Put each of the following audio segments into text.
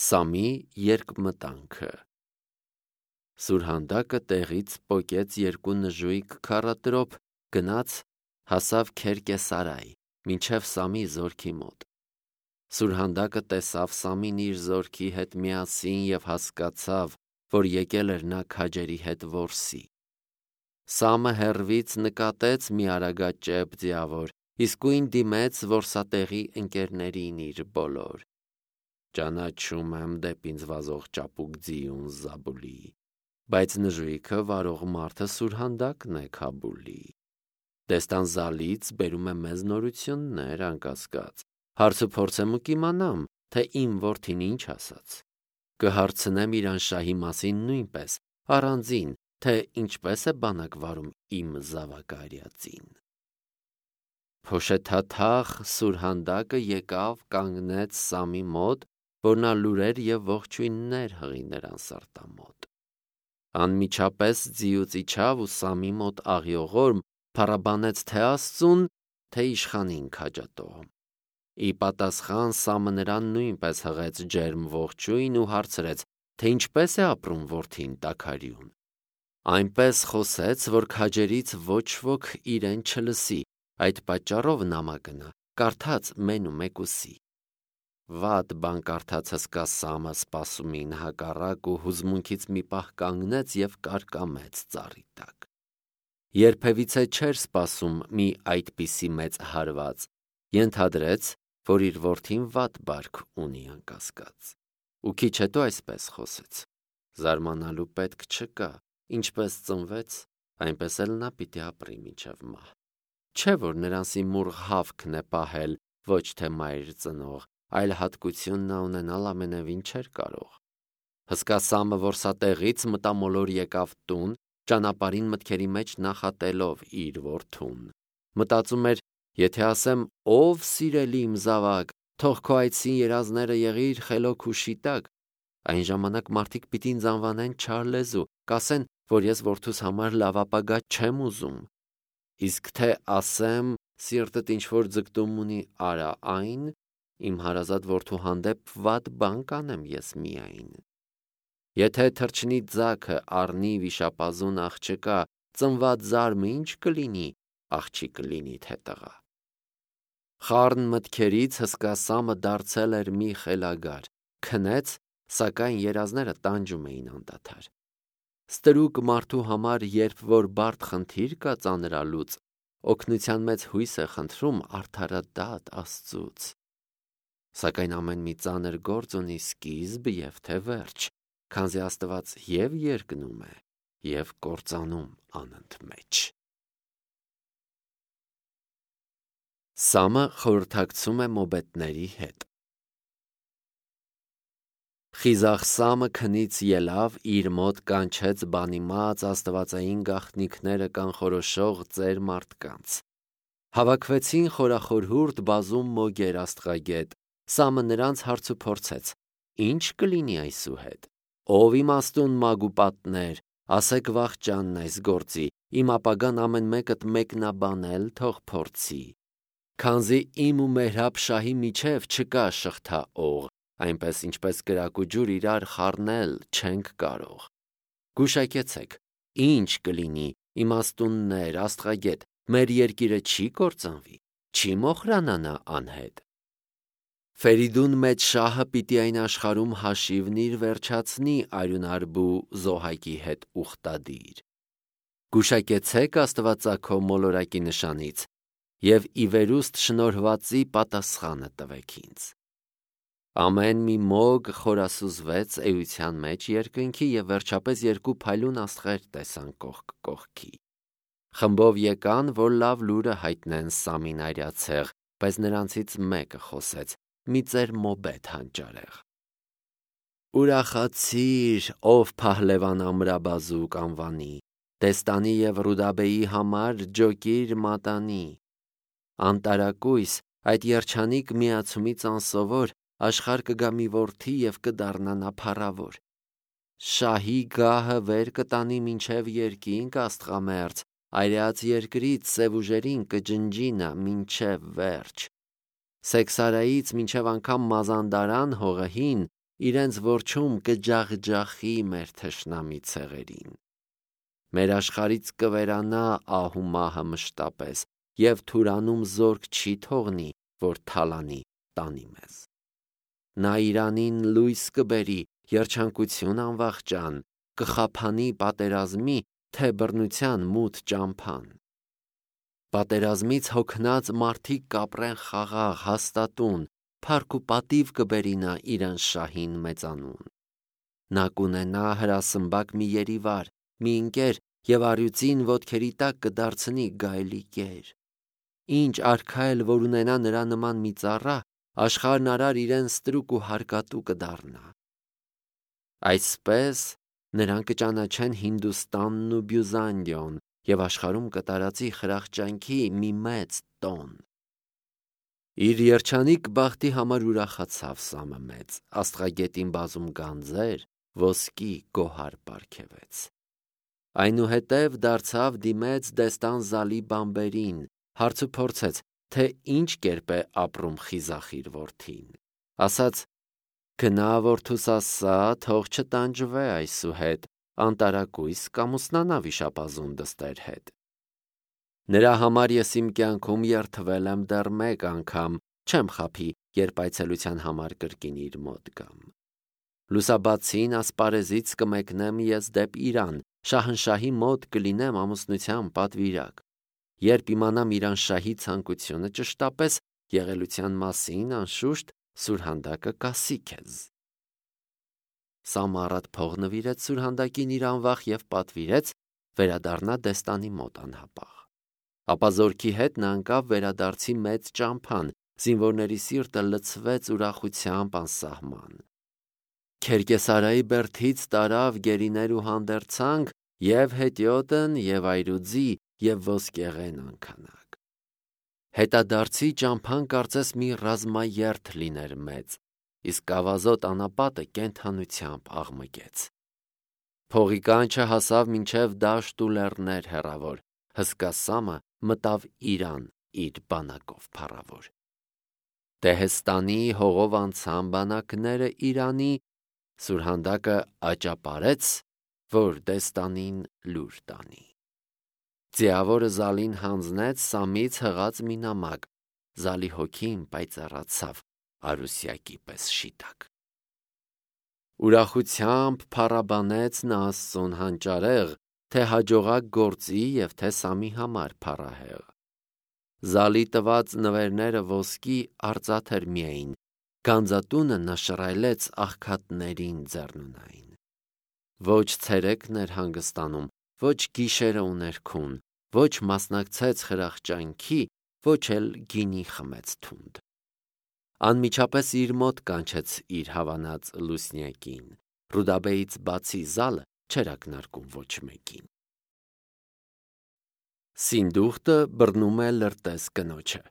Սամի երկմտանքը։ Սուրհանդակը տեղից պոկեց երկու նժույգ քառատրոփ, գնաց, հասավ Քերկեսարայ, մինչև Սամի զորքի մոտ։ Սուրհանդակը տեսավ Սամին իր զորքի հետ միասին և հասկացավ, որ եկել էր նա քաջերի հետ որսի։ Սամը հեռվից նկատեց մի արագաճեպ ձիավոր, իսկույն դիմեց որսատեղի ընկերներին իր բոլոր. «Ճանաչում եմ դեպի ինձ վազող ճապուկ ձիուն Զաբուլի, բայց նժույգը վարող մարդը Սուրհանդակն է Քաբուլի։ Դեստանզալից բերում է մեզ նորություններ, անկասկած, հարցուփորձեմ ու կիմանամ, թե իմ որդին ինչ ասաց։ Կհարցնեմ իր անշահի մասին նույնպես, առանձին, թե ինչպես է բանակ վարում իմ զավակարյածին»։ Փոշեթաթախ Սուրհանդակը եկավ, կանգնեց Սամի մոտ, որ նա լուրեր և ողջույններ հղի նրան սրտամոտ։ Անմիջապես ձիուց իջավ ու Սամի մոտ աղիողորմ փառաբանեց թե Աստծուն, թե իշխանին քաջատողում։ Ի պատասխան Սամը նրան նույնպես հղեց ջերմ ողջույն ու հարցրեց, թե ինչպես է ապրում որդին տաքարյուն։ Այնպես խոսեց, որ քաջերից ոչ ոք իրեն չլսի, այդ պատճառով նամակը կարդաց մենումեկուսի։ Վատ բան կարդաց հսկա Սամը սպասումին հակառակ ու հուզմունքից մի պահ կանգնեց և կարկամեց ծառի տակ։ Երբևիցե չէր սպասում մի այդպիսի մեծ հարված, ենթադրեց, որ իր որդին վատ բարք ունի անկասկած։ Ու քիչ հետո այսպես խոսեց. «Զարմանալու պետք չկա, ինչպես ծնվեց, այնպես էլ նա պիտի ապրի մինչև մահ։ Չէ՞ որ նրան սիմուռ հավքն է պահել, ոչ թե մայր ծնող, այլ հատկություն նա ունենալ ամենևին չէր կարող»։ Հսկա Սամը որսատեղից մտամոլոր եկավ տուն, ճանապարհին մտքերի մեջ նախատելով իր որդուն։ Մտածում էր. «Եթե ասեմ, ով սիրելի իմ զավակ, թող քո այծին երազները եղիր խելոք ու շիտակ, այն ժամանակ մարդիկ պիտի ինձ անվանեն չար լեզու, կասեն, որ ես որդուս համար լավ ապագա չեմ ուզում։ Իսկ թե ասեմ, սիրտդ ինչ-որ ձգտում ունի, արա այն, իմ հարազատ որդու հանդեպ վատ բան կանեմ ես միայն։ Եթե թռչնի ձագը առնի վիշապազուն աղջկա, ծնված զարմը ինչ կլինի, աղջիկ կլինի թե տղա»։ Խառն մտքերից հսկա Սամը դարձել էր մի խելագար, քնեց, սակայն երազները տանջում էին անդադար։ Ստրուկ մարդու համար, երբ որ բարդ խնդիր կա ծանրալուծ, օգնության մեծ հույս է խնդրում արդարադատ Աստծուց։ Սակայն ամեն մի ծանր գործ ունի սկիզբ և թե վերջ, քանզի Աստված և երկնում է, և կործանում անընդմեջ։ Սամը խորհրդակցում է մոբետների հետ։ Խիզախ Սամը քնից ելավ, իր մոտ կանչեց բանիմաց աստվածային գաղտնիքները կանխորոշող ծեր մարդկանց։ Հավաքվեցին խորախորհուրդ բազում մոգեր աստղագետ։ Սամը նրանց հարցուփորձեց. «Ինչ կլինի այսուհետ, ով իմաստուն մագ ու պատներ, ասեք վախճանն այս գործի, իմ ապագան ամեն մեկդ մեկնաբանել թող փորձի։ Քանզի իմ ու Մեհրաբ շահի միջև չկա շղթա օղ, այնպես ինչպես կրակ ու ջուր իրար խառնել չենք կարող։ Գուշակեցեք, ինչ կլինի, իմաստուններ, աստղագետ, մեր երկիրը չի կործանվի, չի մոխրանա նա անհետ։ Ֆերիդուն մեծ շահը պիտի այն աշխարհում հաշիվն իր վերջացնի արյունարբու Զոհակի հետ ուխտադիր։ Գուշակեցեք աստվածաքո մոլորակի նշանից և ի վերուստ շնորհվածի պատասխանը տվեք ինձ»։ Ամեն մի մոգ խորասուզվեց էության մեջ երկնքի և վերջապես երկու փայլուն աստղեր տեսան կողք կողքի։ Խմբով եկան, որ լավ լուրը հայտնեն Սամին այրացեղ, բայց նրանցից մեկը խոսեց, մի ծեր մոբետ հանճարեղ. «Ուրախացիր, ով Փահլևան ամրաբազուկ անվանի, Դեստանի և Ռուդաբեի համար ջոկիր մատանի։ Անտարակույս, այդ երջանիկ միացումից անսովոր, աշխարհ կգա մի որդի և կդառնա նա փառավոր։ Շահի գահը վեր կտանի մինչև երկինք աստղամերձ, այրած երկրից սև ուժերին կջնջի նա մինչև վերջ։ Սեքսարայից մինչև անգամ Մազանդարան հողը հին, իրենց որջում կջախջախի մեր թշնամի ցեղերին։ Մեր աշխարից կվերանա ահու մահը մշտապես, և թուրանում զորք չի թողնի, որ թալանի տանի մեզ։ Նա իրանին լույս կբերի, երջանկություն անվախճան, կխափանի պատերազմի, թե բռնության մութ ճամփան։ Պատերազմից հոգնած մարդիկ կապրեն խաղաղ, հաստատուն, փառք ու պատիվ կբերի նա իրան շահին մեծանուն։ Նա կունենա հրասմբակ մի երիվար, մի ընկեր, և առյուծին ոտքերի տակ կդարձնի գայլի կեր։ Ինչ արքա էլ որ ունենա նրա նման մի ծառա, աշխարհն արար իրեն ստրուկ ու հարկատու կդառնա։ Այսպես նրան կճանաչեն Հինդուստանն ու Բյուզանդիոն, և աշխարհում կտարածի խրախճանքի մի մեծ տոն։ Իր երջանիկ բախտի համար ուրախացավ Սամը մեծ, աստղագետին բազում գանձեր, ոսկի գոհար պարգևեց։ Այնուհետև դարձավ դիմեց Դեստան Զալի բամբերին, հարց ու փորձեց, թե ինչ կերպ է ապրում խիզախ իր որդին։ Ասաց. «Գնա որդուս ասա, թող չտանջվե այսուհետ, անտարակույս կամուսնանա վիշապազուն դստեր հետ։ Նրա համար ես իմ կյանքում երդվել եմ դեռ մեկ անգամ, չեմ խաբի, երբ այցելության համար կրկին իր մոտ գամ։ Լուսաբացին ասպարեզից կմեկնեմ ես դեպ Իրան, շահնշահի մոտ կլինեմ ամուսնության պատվիրակ։ Երբ իմանամ Իրանշահի ցանկությունը ճշտապես եղելության մասին, անշուշտ սուրհանդակը կասի քեզ»։ Սամը առատ փող նվիրեց սուրհանդակին իր անվախ և պատվիրեց վերադառնա Դեստանի մոտ անհապաղ։ Ապա զորքի հետ նա ընկավ վերադարձի մեծ ճամփան, զինվորների սիրտը լցվեց ուրախությամբ անսահման։ Քերկեսարայի բերդից տարավ գերիներ ու հանդերձանք, և հետիոտն, և այրուձի, և ոսկեղեն անքանակ։ Հետադարձի ճամփան կարծես մի ռազմաերթ լիներ մեծ, իսկ ավազոտ անապատը կենդանությամբ աղմկեց։ Փողի կանչը հասավ մինչև դաշտ ու լեռներ հեռավոր, հսկա Սամը մտավ Իրան իր բանակով փառավոր։ Դեհեստանի հողով անցան բանակները Իրանի, սուրհանդակը աճապարեց, որ Դեստանին լուր տանի։ Ձիավորը Զալին հանձնեց Սամից հղած մի նամակ, Զալի հոգին պայծառացավ արուսյակի պես շիտակ։ Ուրախությամբ փառաբանեց նա Աստծուն հանճարեղ, թե հաջողակ գործի և թե Սամի համար փառահեղ։ Զալի տված նվերները ոսկի արծաթ միայն, գանձատունը նա շռայլեց աղքատներին ձեռնունայն։ Ոչ ցերեկն էր հանգստանում, ոչ գիշերը ու ներքուն, ոչ մասնակցեց խրախճանքի, ոչ էլ գինի խմեց թունդ։ Անմիջապես իր մոտ կանչեց իր հավանած լուսնյակին, Ռուդաբեից բացի Զալը չէր ակնարկում ոչ մեկին։ Սինդուխտը բռնում է լրտես կնոջը։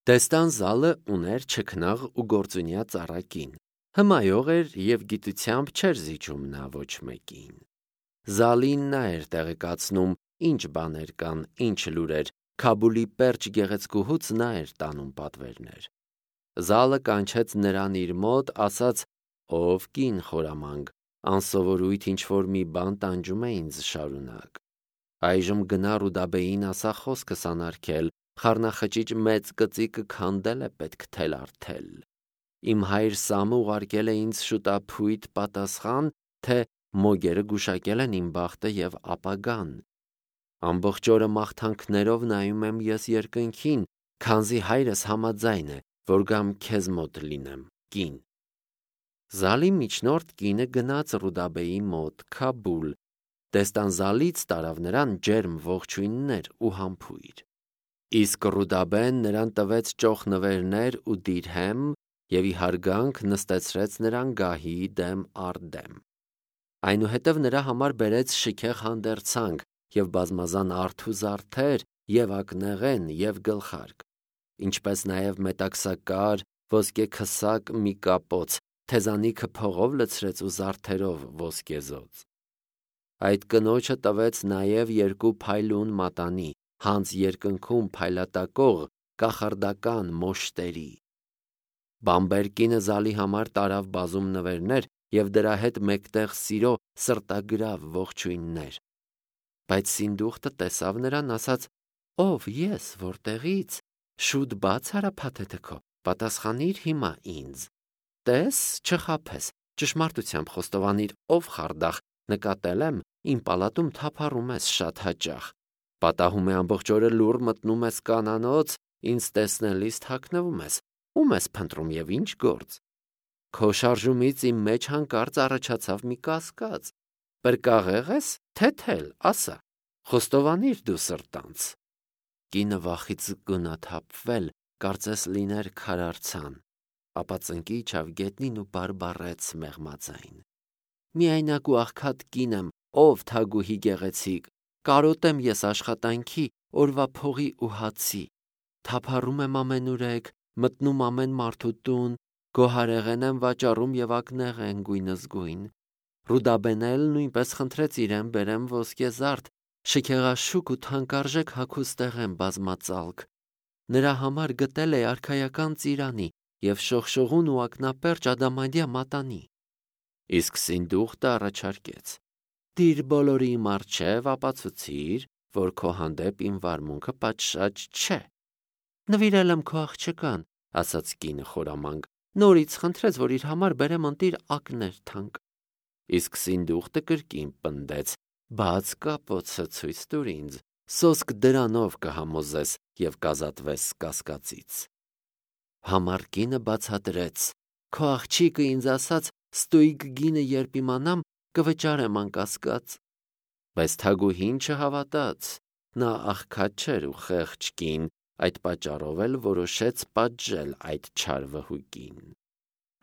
Դեստան Զալը ուներ չքնաղ ու գործունյա ծառա կին, հմայող էր և գիտությամբ չէր զիջում նա ոչ մեկին։ Զալին նա էր տեղեկացնում, ինչ բաներ կան, ինչ լուրեր, Քաբուլի պերճ գեղեցկուհուց նա էր տանում պատվերներ։ Զալը կանչեց նրան իր մոտ, ասաց. «Ով կին խորամանկ, անսովորույթ ինչ-որ մի բան տանջում է ինձ շարունակ։ Այժմ գնա Ռուդաբեին ասա խոսքս անարգել, խառնախճիճ մեծ կծիկը քանդել է պետք թել-արդել։ Իմ հայր Սամը ուղարկել է ինձ շուտափույթ պատասխան, թե մոգերը գուշակել են իմ բախտը և ապագան։ Ամբողջ օրը մաղթանքներով նայում եմ ես երկնքին, քանզի հայրս համաձայն է, որ գամ քեզ մոտ լինեմ կին»։ Զալի միջնորդ կինը գնաց Ռուդաբեի մոտ Քաբուլ, Դեստան Զալից տարավ նրան ջերմ ողջույններ ու համբույր։ Իսկ Ռուդաբեն նրան տվեց ճոխ նվերներ ու դիրհեմ և ի հարգանք նստեցրեց նրան գահի դեմ առ դեմ։ Այնուհետև նրա համար բերեց շքեղ հանդերձանք և բազմազան արդ ու զարդեր, և ակնեղեն, և գլխարկ, ինչպես նաև մետաքսակար, ոսկեքսակ մի կապոց, թեզանիքը փողով լցրեց ու զարդերով ոսկեզոծ։ Այդ կնոջը տվեց նաև 2 փայլուն մատանի, հանց երկնքում փայլատակող կախարդական մոշտերի։ Բամբերկինը զալի համար տարավ բազում նվերներ և դրա հետ մեկտեղ սիրո սրտագրավ ողջույններ։ Բայց Սինդուխտը տեսավ նրան, ասաց. «Ով ես, որտեղից, շուտ բաց արա փաթեթը քո, պատասխանիր հիմա ինձ։ Տես, չխաբես, ճշմարտությամբ խոստովանիր, ով խարդախ, նկատել եմ, իմ պալատում թափառում ես շատ հաճախ։ Պատահում է ամբողջ օրը լուռ մտնում ես կանանոց, ինձ տեսնելիս թաքնվում ես, ում ես փնտրում և ինչ գործ։ Քո շարժումից իմ մեջ հանկարծ առաջացավ մի կասկած. պրկաղե՞ղ ես, թե թել, ասա, խոստովանիր դու սրտանց»։ Կինը վախից գունաթափվել, կարծես լիներ քարարցան, ապա ծնկի իջավ գետնին ու բարբառեց մեղմաձայն. «Միայնակ ու աղքատ կին եմ, ով թագուհի գեղեցիկ, կարոտ եմ ես աշխատանքի, օրվա փողի ու հացի, թափառում եմ ամենուրեք, մտնում ամեն մարդու տուն, գոհարեղեն եմ վաճառում և ակնեղեն գույնզգույն։ Ռուդաբեն էլ նույնպես խնդրեց իրեն բերեմ ոսկեզարդ, շքեղաշուք ու թանկարժեք հագուստեղ եմ բազմածալք։ Նրա համար գտել է արքայական ծիրանի և շողշողուն ու ակնապերճ ադամանդյա մատանի»։ Իսկ Սինդուխտը առաջարկեց. «Դիր բոլորի իմ առջև ապացուցիր, որ քո հանդեպ իմ վարմունքը պատշաճ չէ»։ «Նվիրել եմ քո աղջկան», ասաց կինը խորամանկ, նորից խնդրեց, որ իր համար բերեմ ընտիր ակներ թանկ։ Իսկ Սինդուխտը կրկին պնդեց. «Բաց կապոցը ցույց տուր ինձ, սոսկ դրանով կհամոզես և կազատվես կասկածից»։ Համառ կինը բացատրեց. «Քո աղջիկը ինձ ասաց, ստույգ գինը երբ իմանամ, կվճարեմ անկասկած»։ Բայց թագուհին չհավատաց, նա աղքատ չէր ու խեղճ կին, այդ պատճառով էլ որոշեց պատժել այդ չար վհուկին։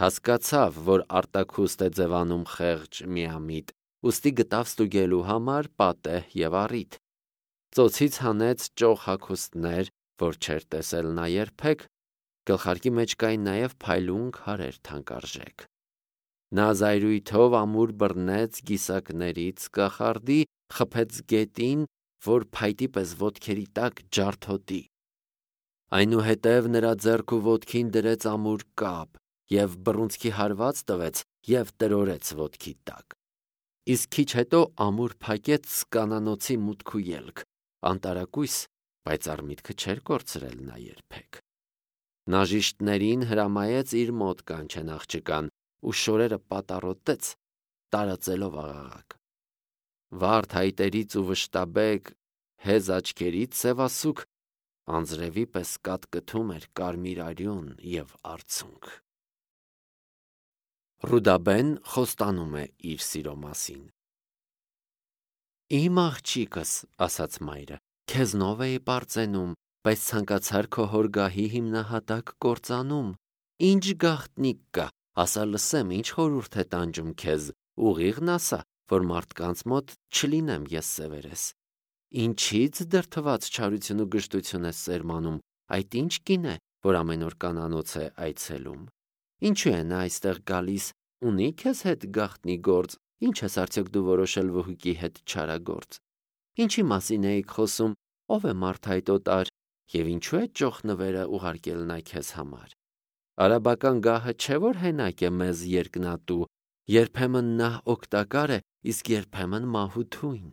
Հասկացավ, որ արտաքուստ է ձևանում խեղճ միամիտ, ուստի գտավ ստուգելու համար պատեհ և առիթ։ Ծոցից հանեց ճոխ հագուստներ, որ չէր տեսել նա երբեք, գլխարկի մեջ կային նաև փայլուն քարեր թանկարժեք։ Նա զայրույթով ամուր բռնեց գիսակներից կախարդի, խփեց գետին, որ փայտի պես ոտքերի տակ ջարդոտի։ Այնուհետև նրա ձեռք ու ոտքին դրեց ամուր կապ և բռունցքի հարված տվեց և տրորեց ոտքի տակ։ Իսկ քիչ հետո ամուր փակեց կանանոցի մուտք ու ելք, անտարակույս, պայծառ միտքը չէր կորցրել նա երբեք։ Նաժիշտներին հրամայեց իր մոտ կանչեն աղջկան ու շորերը պատառոտեց, տարածելով աղաղակ։ Վարդ հայտերից ու վշտաբեկ հեզ աչքերից սևասուք անձրևի պես կատկթում էր կարմիր արյուն և արցունք։ Ռուդաբեն խոստանում է իր սիրո մասին։ «Իմ աղջիկս», ասաց մայրը, «քեզնով էի պարծենում, բայց ցանկացար քո հոր գահի հիմնահատակ կործանում։ Ինչ գաղտնիք կա, ասա լսեմ, ինչ խորհուրդ է տանջում քեզ, ուղիղն ասա, որ մարդկանց մոտ չլինեմ ես սևերես։ Ինչի՞ց դրդված չարություն ու գժտություն ես սերմանում, այդ ինչ կին է, որ ամեն օր կանանոց է այցելում։ Ինչու է նա այստեղ գալիս, ունի քեզ հետ գաղտնի գործ, ինչ ես արդյոք դու որոշել վհուկի հետ չարագործ։ Ինչի մասին էիք խոսում, ով է մարդ այդ օտար, և ինչու է ճոխ նվերը ուղարկել նա քեզ համար։ Արաբական գահը չէ որ հենակ է մեզ երկնատու, երբեմն նա օգտակար է, իսկ երբեմն մահութույն։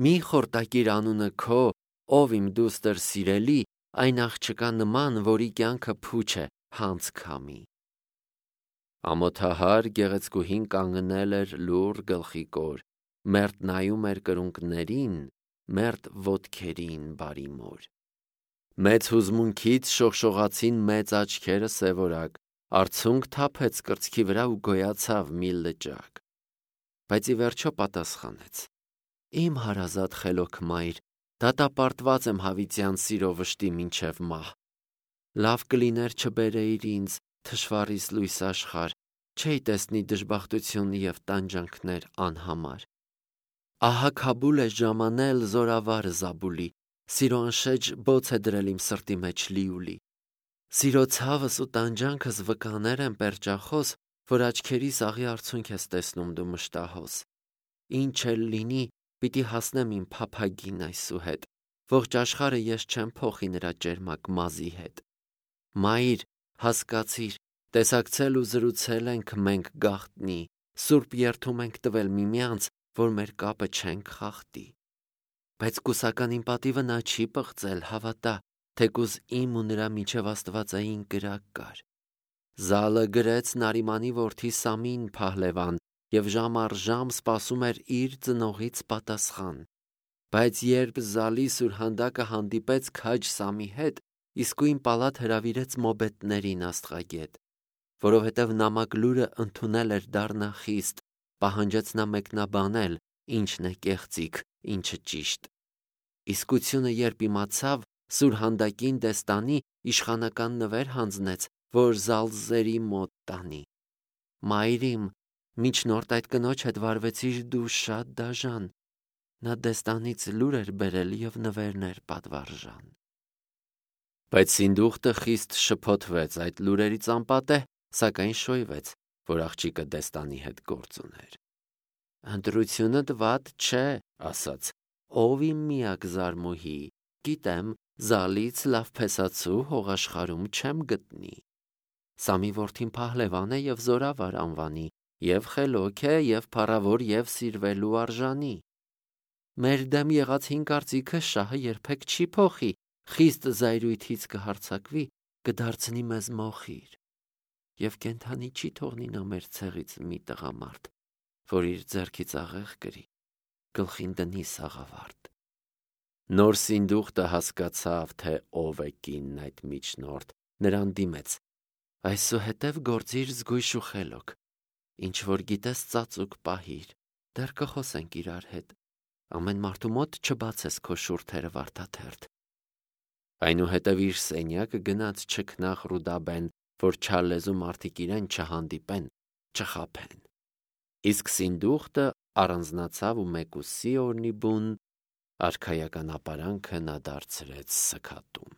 Մի խորտակիր անունը քո, ով իմ դուստր սիրելի, այն աղջկա նման, որի կյանքը փուչ է, հանց քամի»։ Ամոթահար գեղեցկուհին կանգնել էր լուռ գլխի կոր, մերթ նայում էր կրունկներին, մերթ ոտքերին բարիմոր։ Մեծ հուզմունքից շողշողացին մեծ աչքերը սևորակ, արցունք թափեց կրծքի վրա ու գոյացավ մի լճակ։ Բայց ի վերջո պատասխանեց. «Իմ հարազատ խելոք մայր, դատապարտված եմ հավիտյան սիրո վշտի մինչև մահ։ Լավ կլիներ չբերեիր ինձ թշվառիս լույս աշխարհ, չէի տեսնի դժբախտություն և տանջանքներ անհամար։ Ահա Քաբուլ է ժամանել զորավարը Զաբուլի, սիրո անշեջ բոց է դրել իմ սրտի մեջ լիուլի։ Սիրո ցավս ու տանջանքս վկաներ են պերճախոս, որ աչքերիս աղի արցունք ես տեսնում դու մշտահոս։ Ինչ էլ լինի, պիտի հասնեմ իմ փափագին այսուհետ, ողջ աշխարհը ես չեմ փոխի նրա ճերմակ մազի հետ։ Մայր, հասկացիր, տեսակցել ու զրուցել ենք մենք գաղտնի, սուրբ երդում ենք տվել միմյանց, որ մեր կապը չենք խախտի։ Բայց կուսականին պատիվը նա չի պղծել, հավատա, թեկուզ իմ ու նրա միջև աստվածային կրակ կար։ Զալը գրեց Նարիմանի որդի Սամին Փահլևան և ժամ առ ժամ սպասում էր իր ծնողից պատասխան։ Բայց երբ Զալի սուրհանդակը հանդիպեց քաջ Սամի հետ, իսկույն պալատ հրավիրեց մոբետներին աստղագետ, որովհետև նամակ լուրը ընդունել էր դառնա խիստ, պահանջեց նա մեկնաբանել, ինչն է կեղծիք, ինչը ճիշտ։ Իսկությունը երբ իմացավ, սուրհանդակին դեստանի իշխանական նվեր հանձնեց, որ Զալզերի մոտ տանի։ Մայրիմ, միջնորդ այդ կնոջ հետ վարվեցիր դու շատ դաժան։ Նա դեստանից լուր էր բերել և նվերն էր պատվարժան։ Բայց Սինդուխտը խիստ շփոթվեց այդ լուրերից անպատեհ, սակայն շոյվեց, որ աղջիկը դեստանի հետ գործ ուներ։ Ընտրությունդ վատ չէ, ասաց, ով իմ միակ զարմուհի, գիտեմ, Զալից լավ փեսացու հողաշխարում չեմ գտնի։ Սամի որդին Փահլևան է և զորավար անվանի, և խելոք է, և փառավոր, և սիրվելու արժանի։ Մեր դեմ եղած հին կարծիքը շահը երբեք չի փոխի, խիստ զայրույթից կհարձակվի, կդարձնի մեզ մոխիր։ Եվ կենդանի չի թողնի նա մեր ցեղից մի տղամարդ, որ իր ձեռքից աղեղ կրի, գլխին դնի սաղավարտ։ Նոր Սինդուխտը հասկացավ, թե ով է կինն այդ միջնորդ, նրան դիմեց. այսուհետև գործիր զգույշ ու խելոք, ինչ որ գիտես ծածուկ պահիր, դեռ կխոսենք իրար հետ, ամեն մարդու մոտ չբացես քո շուրթերը վարդաթերթ։ Այնուհետև իր սենյակը գնաց չքնաղ Ռուդաբեն, որ չարլեզու մարդիկ իրեն չհանդիպեն, չխաբեն։ Իսկ Սինդուխտը առանձնացավ ու մեկուսի օրնի բուն արքայական ապարանքը նա դարձրեց սգատուն։